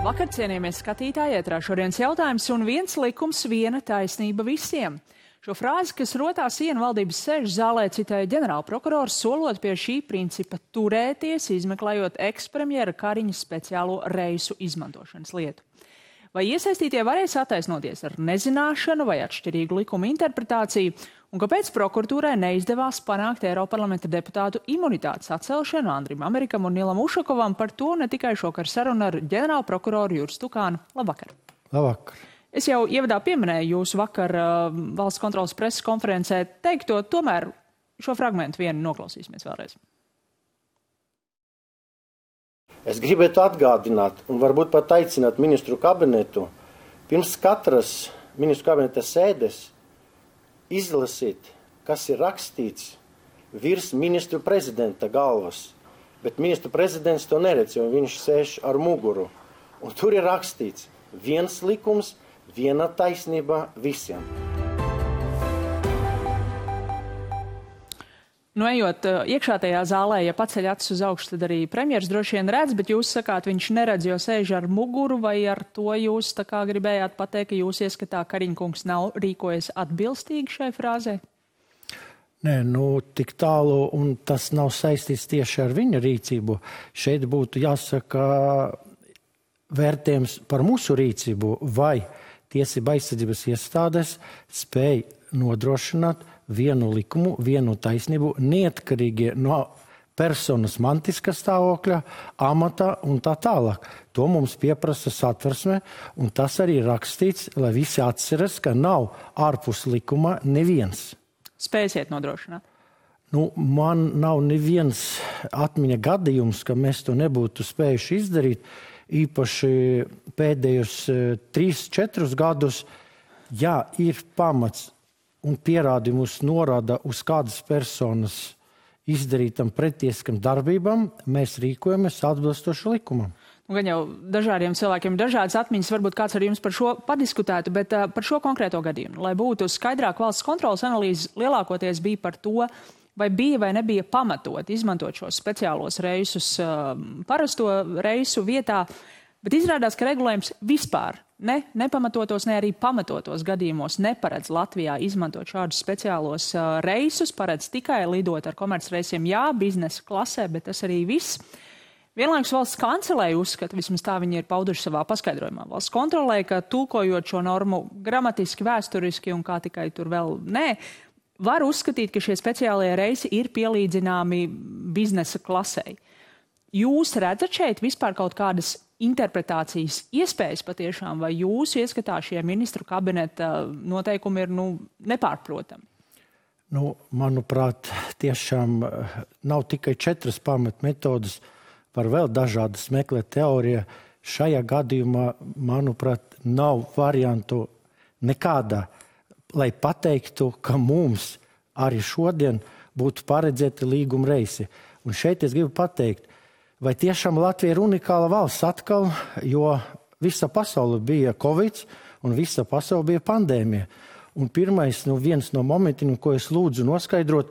Labvakar, cienījamies skatītāji, ētrā šodienas jautājums un viens likums, viena taisnība visiem. Šo frāzi, kas rotā sienu valdības sēžu zālē, citēja ģenerālprokurors, solot pie šī principa turēties, izmeklējot ekspremjera Kariņa speciālo reisu izmantošanas lietu. Vai iesaistītie varēs attaisnoties ar nezināšanu vai atšķirīgu likumu interpretāciju, un kāpēc prokuratūrai neizdevās panākt Eiroparlamenta deputātu imunitātes atcelšanu Andrim Amerikam un Nilam Ušakovam? Par to ne tikai šokar saruna ar ģenerālprokuroru Juru Stukānu. Labvakar! Labvakar! Es jau ievadā pieminēju jūsu vakar valsts kontrolas preses konferencē teikto, tomēr šo fragmentu vienu noklausīsimies vēlreiz. Es gribētu atgādināt un varbūt pat aicināt ministru kabinetu pirms katras ministru kabineta sēdes izlasīt, kas ir rakstīts virs ministru prezidenta galvas. Bet ministru prezidents to neredz, jo viņš sēž ar muguru. Un tur ir rakstīts viens likums, viena taisnība visiem. Nu, ejot iekšā tajā zālē, ja paceļ acis uz augšu, tad arī premjers droši vien redz, bet jūs sakāt, viņš neredz, jo sēž ar muguru, vai ar to jūs tā kā gribējāt pateikt, ka jūs ieskatā Kariņkungs nav rīkojies atbilstīgi šai frāzē? Nē, tik tālu, un tas nav saistīts tieši ar viņa rīcību. Šeit būtu jāsaka vērtējums par mūsu rīcību, vai tiesība aizsardzības iestādes spēj nodrošināt vienu likumu, vienu taisnību, neatkarīgi no personas mantiskā stāvokļa, amata un tā tālāk. To mums pieprasa Satversme, un tas arī rakstīts, lai visi atceras, ka nav ārpus likuma neviens. Spēsiet nodrošināt? Man nav neviens atmiņa gadījums, ka mēs to nebūtu spējuši izdarīt, īpaši pēdējos 3-4 gadus, ja ir pamats un pierādījumus norāda uz kādas personas izdarītam pretieskam darbībām, mēs rīkojamies atbilstoši likumam. Gan jau dažādiem cilvēkiem ir dažādas atmiņas, varbūt kāds ar jums par šo padiskutētu, bet par šo konkrēto gadījumu, lai būtu skaidrāk, valsts kontrolas analīze lielākoties bija par to, vai bija vai nebija pamatot izmantot šos speciālos reisus parasto reisu vietā, bet izrādās, ka regulējums vispār nepamatotos, ne arī pamatotos gadījumos neparedz Latvijā izmantot šādus speciālos reisus, paredz tikai lidot ar komercreisiem, jā, biznesa klasē, bet tas arī viss. Vienlaikus valsts kancelēja uzskata, vismaz tā viņi ir pauduši savā paskaidrojumā, valsts kontrolē, ka tulkojot šo normu gramatiski, vēsturiski un kā tikai tur vēl var uzskatīt, ka šie speciālie reisi ir pielīdzināmi biznesa klasei. Jūs redzat šeit vispār kaut kādas interpretācijas iespējas patiešām, vai jūsu ieskatā šie ministru kabineta noteikumi ir nepārprotami? Manuprāt, tiešām nav tikai 4 pamatmetodas, var vēl dažādas meklēt teorija. Šajā gadījumā, manuprāt, nav variantu nekādā, lai pateiktu, ka mums arī šodien būtu paredzēti līguma reisi. Un šeit es gribu pateikt, vai tiešām Latvija ir unikāla valsts atkal, jo visa pasaule bija Covid un visa pasaule bija pandēmija. Un pirmais, viens no momentiem, ko es lūdzu noskaidrot,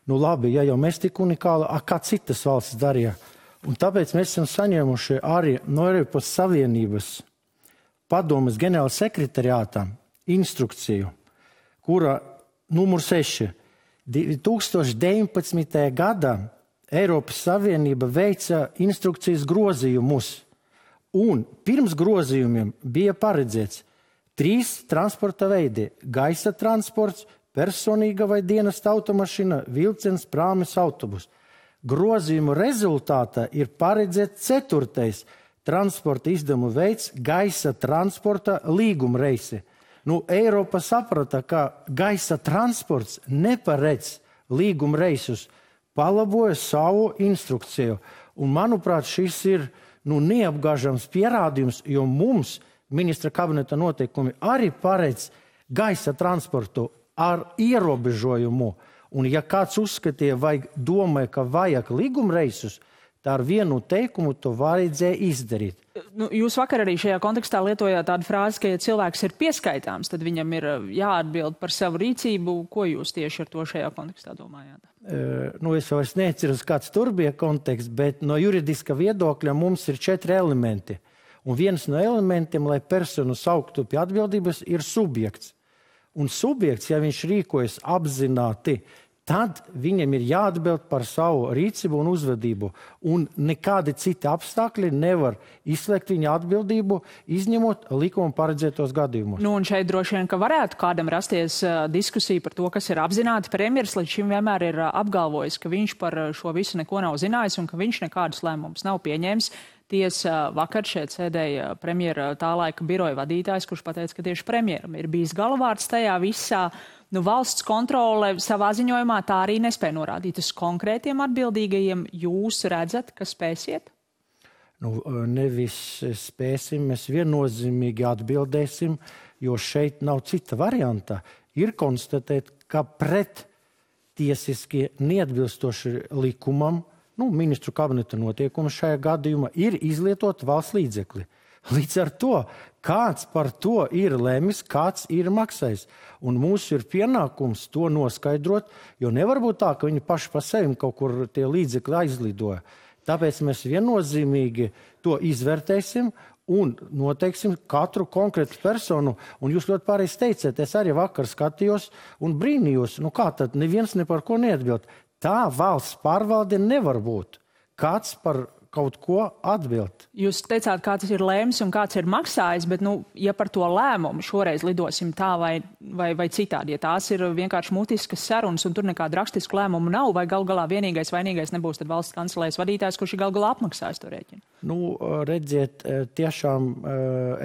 labi, ja jau mēs tik unikāli, kā citas valsts darīja. Un tāpēc mēs esam saņēmuši arī no Eiropas Savienības padomes ģenerāla sekretariātā instrukciju, kura numur 6. 2019. gadā Eiropas Savienība veica instrukcijas grozījumus, un pirms grozījumiem bija paredzēts 3 transporta veidi – gaisa transports, personīga vai dienesta automašīna, vilciens, prāmis, autobus. Grozījumu rezultātā ir paredzēts 4. transporta izdevumu veids – gaisa transporta līguma reisi. Eiropa saprata, ka gaisa transports neparedz līguma reisus, palaboja savu instrukciju. Un, manuprāt, šis ir neapgāžams pierādījums, jo mums ministra kabineta noteikumi arī paredz gaisa transportu ar ierobežojumu. Un, ja kāds uzskatīja vai domāja, ka vajag līguma reisus, tā ar vienu teikumu to vajadzēja izdarīt. Jūs vakar arī šajā kontekstā lietojāt tādu frāzi, ka ja cilvēks ir pieskaitāms, tad viņam ir jāatbild par savu rīcību. Ko jūs tieši ar to šajā kontekstā domājāt? Es vairs neatceros, kāds tur bija konteksts, bet no juridiska viedokļa mums ir 4 elementi. Un viens no elementiem, lai personu sauktu pie atbildības, ir subjekts. Un subjekts, ja viņš rīkojas apzināti, tad viņam ir jāatbild par savu rīcību un uzvedību. Un nekādi citi apstākļi nevar izslēgt viņa atbildību, izņemot likuma paredzētos gadījumus. Nu, un šeit droši vien, ka varētu kādam rasties diskusija par to, kas ir apzināti. Premjeras līdz šim vienmēr ir apgalvojis, ka viņš par šo visu neko nav zinājis un ka viņš nekādus lēmumus nav pieņēmis. Tiesa vakar šeit sēdēja premjera tā laika biroja vadītājs, kurš pateica, ka tieši premjeram ir bijis galvārds tajā visā. Nu, valsts kontrole savā ziņojumā tā arī nespēja norādīt uz konkrētiem atbildīgajiem. Jūs redzat, ka spēsiet? Nu, nevis spēsim, mēs viennozīmīgi atbildēsim, jo šeit nav cita varianta. Ir konstatēt, ka pret tiesiski neatbilstoši likumam, ministru kabineta notiekumi šajā gadījumā ir izlietot valsts līdzekļi. Līdz ar to, kāds par to ir lēmis, kāds ir maksājis. Un mūsu ir pienākums to noskaidrot, jo nevar būt tā, ka viņi paši pa sevi kaut kur tie līdzekļi aizlidoja. Tāpēc mēs viennozīmīgi to izvērtēsim un noteiksim katru konkrētu personu. Un jūs ļoti pareizi teicāt, es arī vakar skatījos un brīnījos, kā tad neviens ne par ko neatbild. Tā valsts pārvalde nevar būt. Kāds par kaut ko atbild. Jūs teicāt, kāds ir lēms un kāds ir maksājis, bet, ja par to lēmumu šoreiz lidosim tā vai citādi, ja tās ir vienkārši mutiskas sarunas un tur nekāda rakstisku lēmumu nav, vai gal galā vienīgais vainīgais nebūs tad valsts kancelējas vadītājs, kurš ir gal galā apmaksājis to rēķinu? Redziet, tiešām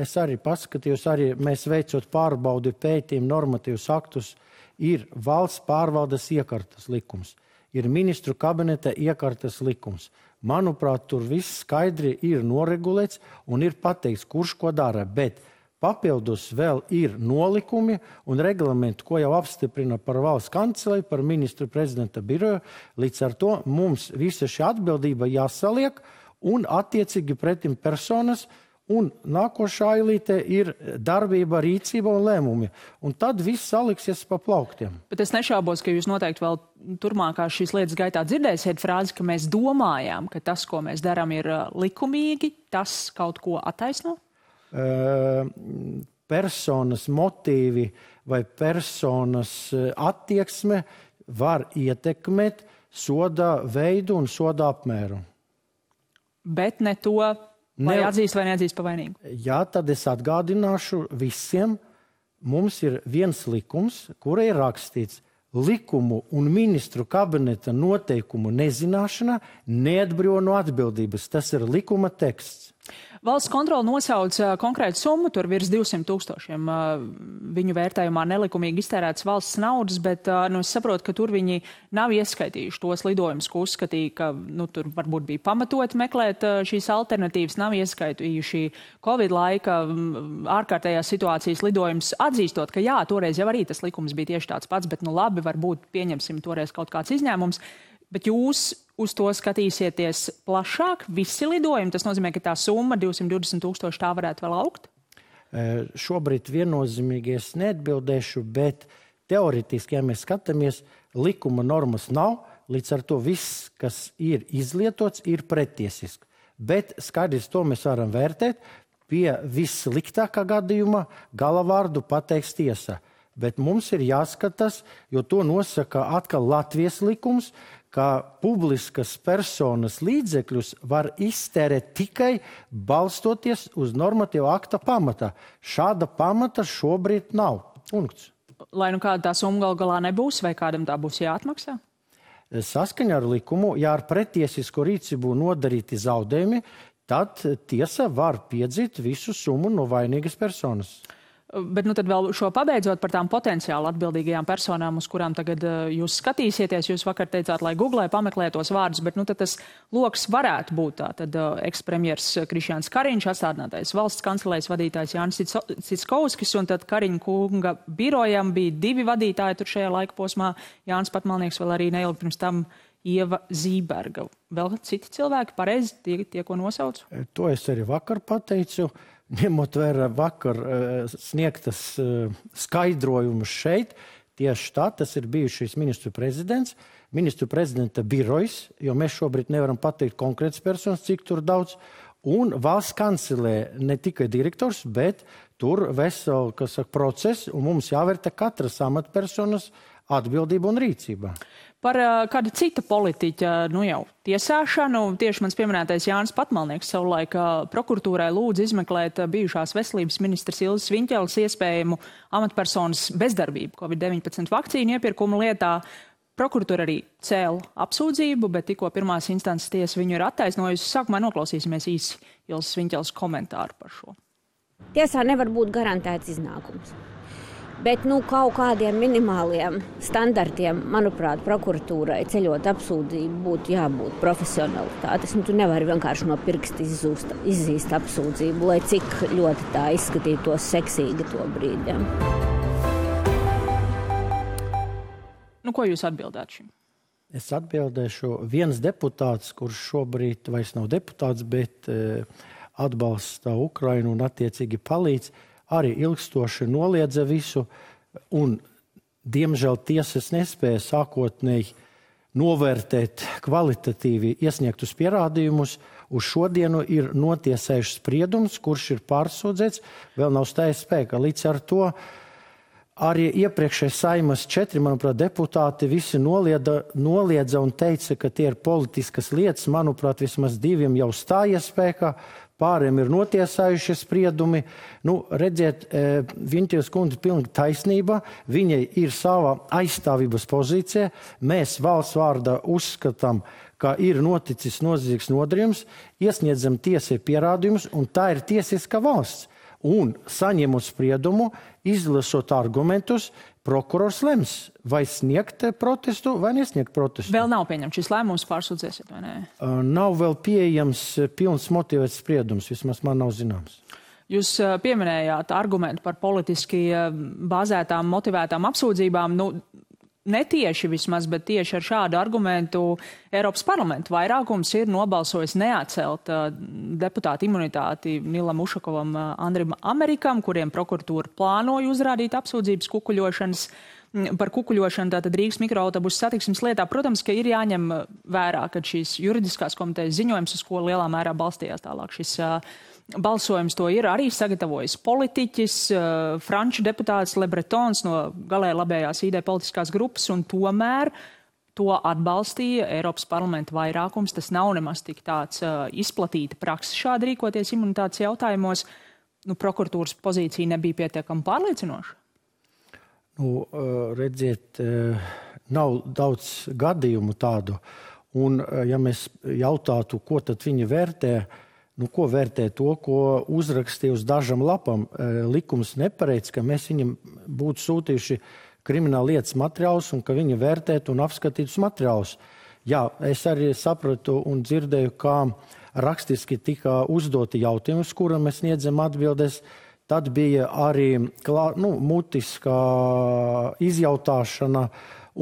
es arī paskatījos, arī mēs veicot pārbaudi pētījumu normatīvus aktus, ir valsts pārvaldes iekartas likums, ir ministru kabineta iekartas likums. Manuprāt, tur viss skaidri ir noregulēts un ir pateikts, kurš ko dara, bet papildus vēl ir nolikumi un reglamenti, ko jau apstiprina par valsts kancelēju, par ministru prezidenta biroju. Līdz ar to mums visa šī atbildība jāsaliek un attiecīgi pretim personas. Un nākošā ailīte ir darbība, rīcība un lēmumi. Un tad viss saliksies pa plauktiem. Bet es nešaubos, ka jūs noteikti vēl turmākā šīs lietas gaitā dzirdēsiet frāzi, ka mēs domājām, ka tas, ko mēs darām, ir likumīgi. Tas kaut ko attaisno? Personas motīvi vai personas attieksme var ietekmēt soda veidu un soda apmēru. Bet ne to... Vai atzīst vai neatzīst pa vainīgu? Jā, tad es atgādināšu visiem, mums ir viens likums, kura ir rakstīts, likumu un ministru kabineta noteikumu nezināšana neatbrīvo no atbildības. Tas ir likuma teksts. Valsts kontrole nosauc konkrētu summu, tur virs 200,000 viņu vērtējumā nelikumīgi iztērētas valsts naudas, bet es saprotu, ka tur viņi nav ieskaitījuši tos lidojumus, ko uzskatīja, ka tur varbūt bija pamatoti meklēt šīs alternatīvas, nav ieskaitījuši Covid laika ārkārtējās situācijas lidojumus, atzīstot, ka jā, toreiz jau arī tas likums bija tieši tāds pats, bet labi, varbūt pieņemsim toreiz kaut kāds izņēmums. Bet jūs uz to skatīsieties plašāk, visi lidojumi? Tas nozīmē, ka tā summa 220,000 tā varētu vēl augt? Šobrīd viennozīmīgi es neatbildēšu, bet teoretiski, ja mēs skatāmies, likuma normas nav, līdz ar to viss, kas ir izlietots, ir pretiesiski. Bet skaidrs to mēs varam vērtēt, pie vissliktākā gadījuma galavārdu pateiks tiesa. Bet mums ir jāskatās, jo to nosaka atkal Latvijas likums, ka publiskas personas līdzekļus var iztērēt tikai balstoties uz normatīva akta pamata. Šāda pamata šobrīd nav. Punkts. Lai kāda tā summa gal galā nebūs, vai kādam tā būs jāatmaksā? Saskaņā ar likumu, ja ar pretiesisko rīcību nodarīti zaudējumi, tad tiesa var piedzīt visu summu no vainīgas personas. Bet tad vēl šo pabeidzot par tām potenciāli atbildīgajām personām, uz kurām tagad jūs skatīsieties. Jūs vakar teicāt, lai Googlē pameklē tos vārdus, bet tad tas loks varētu būt tā. Tad ekspremjers Krišjāns Kariņš, atstādinātais valsts kancelējas vadītājs Jānis Citskovskis, un tad Kariņa kunga birojam bija 2 vadītāji tur šajā laika posmā. Jānis Patmalnieks, vēl arī neilgi pirms tam Ieva Zīberga. Vēl citi cilvēki, pareizi tie, ko nosaucu? To es arī vakar pateicu. Ņemot vērā vakar sniegtas skaidrojumus šeit, tieši tā, tas ir bijušais ministru prezidents, ministru prezidenta birojs, jo mēs šobrīd nevaram pateikt konkrētas personas, cik tur daudz, Un valsts kancelē ne tikai direktors, bet tur vesel, process, un mums jāvērtē katras amatpersonas atbildība un rīcība. Par kādu citu politiķa, jau tiesāšanu, tieši mans pieminētais Jānis Patmalnieks savulaik prokuratūrai lūdza izmeklēt bijušās veselības ministras Ilzes Viņķeles iespējamu amatpersonas bezdarbību COVID-19 vakcīnu iepirkuma lietā. Prokuratūra arī cēla apsūdzību, bet tikko pirmās instances tiesa viņu ir attaisnojusi. Sākumā noklausīsimies īsi Ilzes Viņķeles komentāru par šo. Tiesā nevar būt garantēts iznākums. Bet kaut kādiem minimāliem standartiem, manuprāt, prokuratūrai ceļot apsūdzību būtu jābūt profesionalitātes. Tu nevari vienkārši no pirksta izzīst apsūdzību, lai cik ļoti tā izskatītos seksīgi to brīdi. Ko jūs atbildētu šim? Es atbildēšu viens deputāts, kurš šobrīd vairs nav deputāts, bet atbalsta Ukrainu un attiecīgi palīdz, arī ilgstoši noliedza visu, un, diemžēl, tiesas nespēja sākotnēji novērtēt kvalitatīvi iesniegtus pierādījumus. Uz šodienu ir notiesējušs spriedums, kurš ir pārsūdzēts, vēl nav stājies spēkā. Līdz ar to arī iepriekšējais Saeimas 4, manuprāt, deputāti visi noliedza un teica, ka tie ir politiskas lietas. Manuprāt, vismaz 2 jau stājies spēkā. Pāriem ir notiesājušie spriedumi. Redziet, Viņķeles kundze pilnīgi taisnība. Viņai ir sava aizstāvības pozīcija. Mēs valsts vārdā uzskatām, ka ir noticis noziedzīgs nodarījums, iesniedzam tiesai pierādījumus, un tā ir tiesiska valsts. Un saņemot spriedumu, izlasot argumentus, prokurors lems, vai sniegt protestu vai nesniegt protestu. Vēl nav pieņemts šis lēmums, pārsūdzēsiet, vai ne? Nav vēl pieejams pilns motivēts spriedums, vismaz man nav zināms. Jūs pieminējāt argumentu par politiski bāzētām, motivētām apsūdzībām. Netieši vismaz, bet tieši ar šādu argumentu Eiropas parlamenta vairākums ir nobalsojis neatcelt deputāta imunitāti Nilam Ušakovam, Andrim Amerikam, kuriem prokuratūra plānoja uzrādīt apsūdzības par kukuļošanu, tātad Rīgas mikroautobusu satiksmes lietā. Protams, ka ir jāņem vērā, ka šīs juridiskās komitejas ziņojums, uz ko lielā mērā balstījās tālāk šis balsojums, to ir arī sagatavojis politiķis, franču deputāts Le Bretons no galēji labējās ID politiskās grupas, un tomēr to atbalstīja Eiropas parlamenta vairākums. Tas nav nemaz tik tāds izplatīta praksa šādi rīkoties imunitātes jautājumos. Prokuratūras pozīcija nebija pietiekami pārliecinoša. Redziet, nav daudz gadījumu tādu. Un, ja mēs jautātu, ko tad viņi vērtē, ko vērtē to, ko uzrakstīja uz dažam lapam, likums nepareids, ka mēs viņam būtu sūtījuši krimināla lietas materiālus un ka viņi vērtētu un apskatītus materiālus. Jā, es arī sapratu un dzirdēju, kā rakstiski tika uzdoti jautājumi, uz kuriem mēs sniedzam atbildes. Tad bija arī mutiskā izjautāšana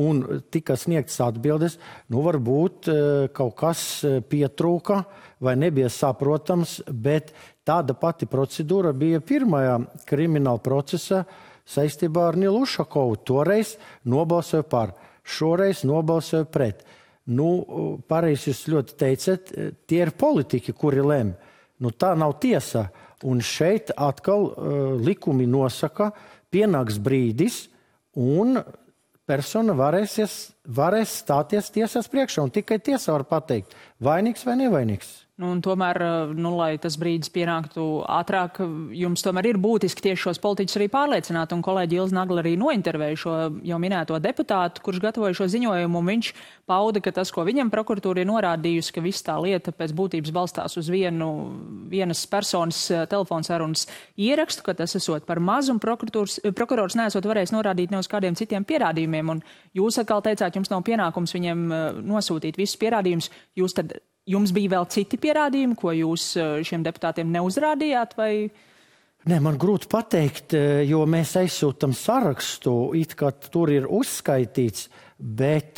un tika sniegtas atbildes. Varbūt kaut kas pietrūka vai nebija saprotams, bet tāda pati procedūra bija pirmajā krimināla procesa saistībā ar Nilu Ušakovu. Toreiz nobalsoja par, šoreiz nobalsoja pret. Pareizi jūs ļoti teicat, tie ir politiķi, kuri lem. Tā nav tiesa. Un šeit atkal likumi nosaka, pienāks brīdis un persona varēs stāties tiesas priekšā. Un tikai tiesa var pateikt, vainīgs vai nevainīgs. Un tomēr, lai tas brīdis pienāktu ātrāk, jums tomēr ir būtiski tieši šos politiķus arī pārliecināt. Un kolēģi Ilze Nagla arī nointervēja šo jau minēto deputātu, kurš gatavoja šo ziņojumu, un viņš pauda, ka tas, ko viņam prokuratūra ir norādījusi, ka viss tā lieta pēc būtības balstās uz vienas personas telefonsarunas ierakstu, ka tas esot par mazu, un prokurors neesot varējis norādīt ne uz kādiem citiem pierādījumiem. Un jūs atkal teicāt, jums nav pienākums viņiem nosūtīt visus pierādījumus. Jums bija vēl citi pierādījumi, ko jūs šiem deputātiem neuzrādījāt? Vai? Nē, man grūti pateikt, jo mēs aizsūtam sarakstu, it kā tur ir uzskaitīts, bet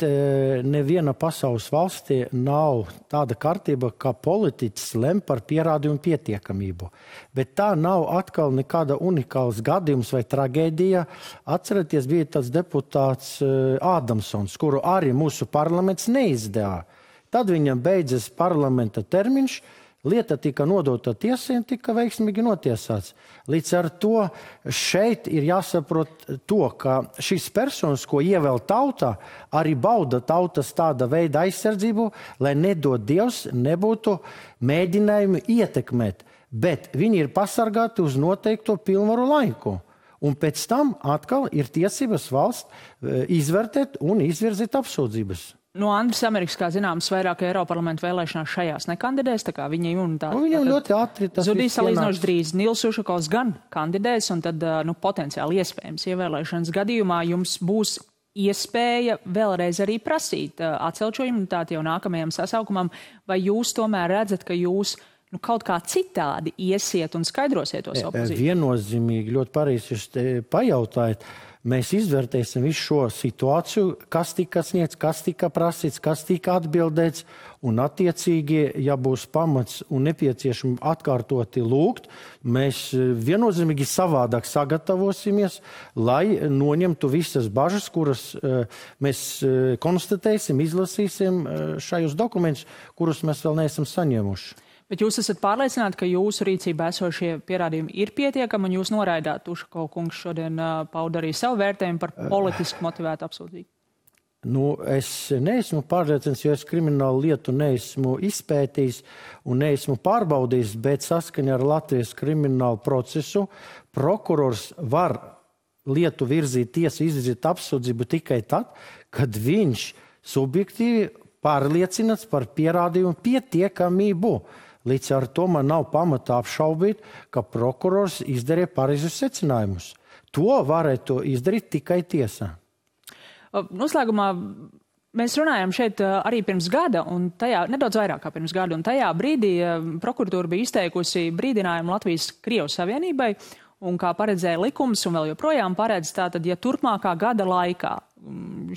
neviena pasaules valstī nav tāda kārtība, kā politiķis lem par pierādījumu pietiekamību. Bet tā nav atkal nekāda unikāls gadījums vai traģēdija. Atcerieties, bija tāds deputāts Ādamsons, kuru arī mūsu parlaments neizdevā. Tad viņam beidzas parlamenta termiņš, lieta tika nodota tiesai un tika veiksmīgi notiesāts. Līdz ar to šeit ir jāsaprot to, ka šīs personas, ko ievēl tautā, arī bauda tautas tāda veida aizsardzību, lai nedod Dievs nebūtu mēģinājumi ietekmēt, bet viņi ir pasargāti uz noteikto pilnvaru laiku. Un pēc tam atkal ir tiesības valsts izvērtēt un izvirzīt apsūdzības. No Andris Amerikas, kā zināms, vairāk Eiroparlamentu vēlēšanās šajās nekandidēs, tā kā viņa imunitāte. Viņam ļoti ātri tas zudīs salīdzinoši drīz. Nils Ušakovs gan kandidēs, un tad potenciāli iespējams ievēlēšanas gadījumā jums būs iespēja vēlreiz arī prasīt atcelt šo imunitāti jau nākamajam sasaukumam, vai jūs tomēr redzat, ka jūs kaut kā citādi iesiet un skaidrosiet to savu pozīciju? Viennozīmīgi, ļoti pareizi jūs pajautājat. Mēs izvērtēsim visu šo situāciju, kas tika sniegts, kas tika prasīts, kas tika atbildēts, un attiecīgi, ja būs pamats un nepieciešami atkārtoti lūgt, mēs viennozīmīgi savādāk sagatavosimies, lai noņemtu visas bažas, kuras mēs konstatēsim, izlasīsim šajos dokumentus, kurus mēs vēl neesam saņēmuši. Bet jūs esat pārliecināti, ka jūsu rīcībā esošie pierādījumi ir pietiekami, un jūs noraidāt, Ušakova kungs šodien pauda arī savu vērtējumu par politiski motivētu apsūdzību? Es neesmu pārliecināts, jo es kriminālu lietu neesmu izpētījis un neesmu pārbaudījis, bet saskaņā ar Latvijas kriminālu procesu prokurors var lietu virzīt tiesu, izvirzīt apsūdzību tikai tad, kad viņš subjektīvi pārliecināts par pierādījumu pietiekamību. Līdz ar to man nav pamata apšaubīt, ka prokurors izdarīja pareizus secinājumus. To varētu izdarīt tikai tiesā. Noslēgumā mēs runājam šeit arī pirms gada, un tajā, nedaudz vairāk kā pirms gada, un tajā brīdī prokuratūra bija izteikusi brīdinājumu Latvijas-Krievijas Savienībai, un kā paredzēja likums, un vēl joprojām paredz tātad, ja turpmākā gada laikā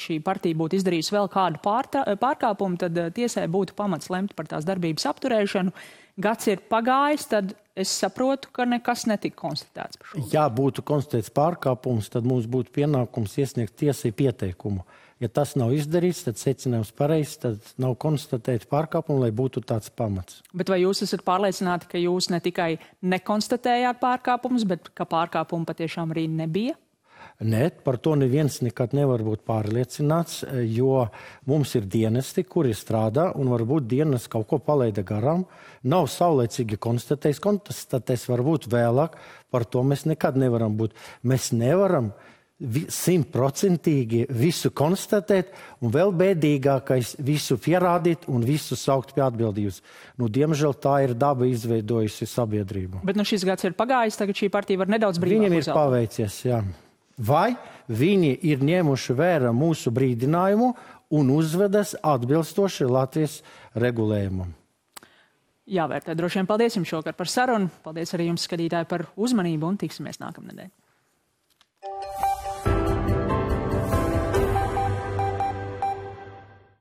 šī partija būtu izdarījusi vēl kādu pārkāpumu, tad tiesai būtu pamats lemt par tās darbības apturēšanu. Gads ir pagājis, tad es saprotu, ka nekas netika konstatēts par šo. Ja būtu konstatēts pārkāpums, tad mums būtu pienākums iesniegt tiesai pieteikumu. Ja tas nav izdarīts, tad secinājums pareizs, tad nav konstatēts pārkāpumu, lai būtu tāds pamats. Bet vai jūs esat pārliecināti, ka jūs ne tikai nekonstatējāt pārkāpumus, bet ka pārkāpumu patiešām arī nebija? Nē, par to neviens nekad nevar būt pārliecināts, jo mums ir dienesti, kuri strādā, un varbūt dienas kaut ko palaida garām. Nav saulēcīgi konstatēs varbūt vēlāk, par to mēs nekad nevaram būt. Mēs nevaram 100% visu konstatēt, un vēl bēdīgākais visu pierādīt un visu saukt pie atbildības. Diemžēl tā ir daba izveidojusi sabiedrību. Bet šis gads ir pagājis, tagad šī partija var nedaudz brīvāk Viņiem ir paveicies, jā. Vai viņi ir ņēmuši vērā mūsu brīdinājumu un uzvedas atbilstoši Latvijas regulējumam? Jāvērtē. Droši vien paldies jums šokar par sarunu. Paldies arī jums, skatītāji, par uzmanību un tiksimies nākamnedēļ.